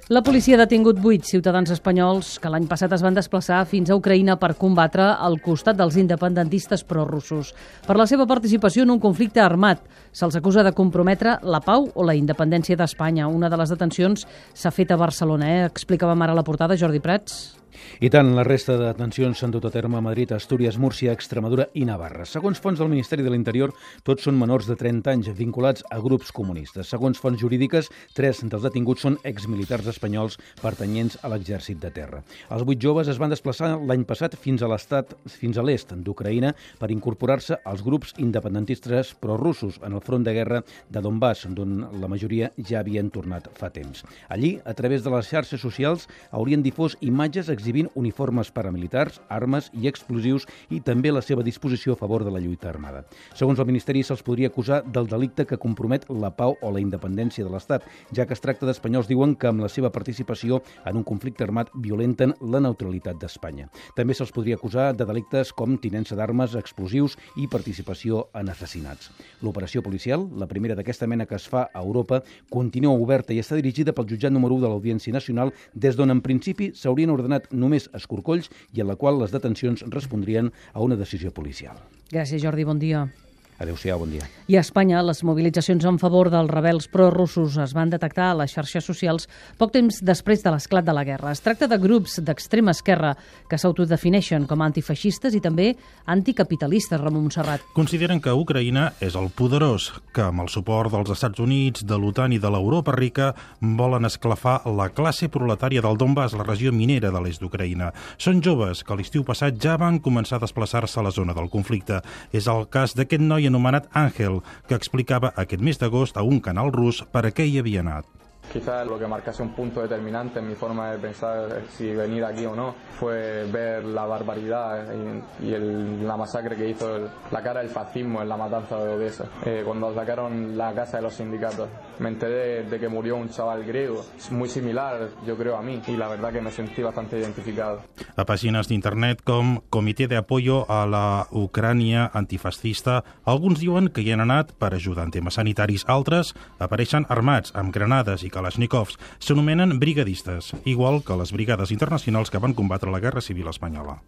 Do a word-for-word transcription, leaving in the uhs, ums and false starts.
La policia ha detingut vuit ciutadans espanyols que l'any passat es van desplaçar fins a Ucraïna per combatre al costat dels independentistes prorussos. Per la seva participació en un conflicte armat, se'ls acusa de comprometre la pau o la independència d'Espanya. Una de les detencions s'ha fet a Barcelona, eh? Explicàvem ara a la portada, Jordi Prats. I tant, la resta de detencions s'han dut a terme a Madrid, Astúries, Múrcia, Extremadura i Navarra. Segons fonts del Ministeri de l'Interior, tots són menors de trenta anys vinculats a grups comunistes. Segons fonts jurídiques, tres dels detinguts són exmilitars espanyols pertanyents a l'exèrcit de terra. Els vuit joves es van desplaçar l'any passat fins a l'estat, fins a l'est d'Ucraïna per incorporar-se als grups independentistes prorussos en el front de guerra de Donbass, d'on la majoria ja havien tornat fa temps. Allí, a través de les xarxes socials, haurien difós imatges exhibint uniformes paramilitars, armes i explosius i també la seva disposició a favor de la lluita armada. Segons el Ministeri, se'ls podria acusar del delicte que compromet la pau o la independència de l'Estat, ja que es tracta d'espanyols, diuen, que amb la seva participació en un conflicte armat violenten la neutralitat d'Espanya. També se'ls podria acusar de delictes com tinença d'armes, explosius i participació en assassinats. L'operació policial, la primera d'aquesta mena que es fa a Europa, continua oberta i està dirigida pel jutjat número u de l'Audiència Nacional, des d'on en principi s'haurien ordenat només escorcolls i en la qual les detencions respondrien a una decisió policial. Gràcies, Jordi. Bon dia. Adéu-siau, bon dia. I a Espanya, les mobilitzacions en favor dels rebels prorussos es van detectar a les xarxes socials poc temps després de l'esclat de la guerra. Es tracta de grups d'extrema esquerra que s'autodefineixen com a antifeixistes i també anticapitalistes, Ramon Montserrat. Consideren que Ucraïna és el poderós, que amb el suport dels Estats Units, de l'OTAN i de l'Europa rica volen esclafar la classe proletària del Donbass, la regió minera de l'est d'Ucraïna. Són joves que l'estiu passat ja van començar a desplaçar-se a la zona del conflicte. És el cas d'aquest noi anomenat Ángel, que explicava aquest mes d'agost a un canal rus per a què hi havia anat. Quizás lo que marcase un punto determinante en mi forma de pensar si venir aquí o no fue ver la barbaridad y, y el, la masacre que hizo el, la cara del fascismo en la matanza de Odessa, eh, cuando atacaron la casa de los sindicatos. Me enteré de que murió un chaval griego, muy similar, yo creo, a mí, y la verdad que me sentí bastante identificado. A pàgines d'internet com Comitè de Apoyo a la Ucrània Antifascista, alguns diuen que hi han anat per ajudar en temes sanitaris, altres apareixen armats amb granades i kalashnikovs. S'anomenen brigadistes, igual que les brigades internacionals que van combatre la Guerra Civil espanyola.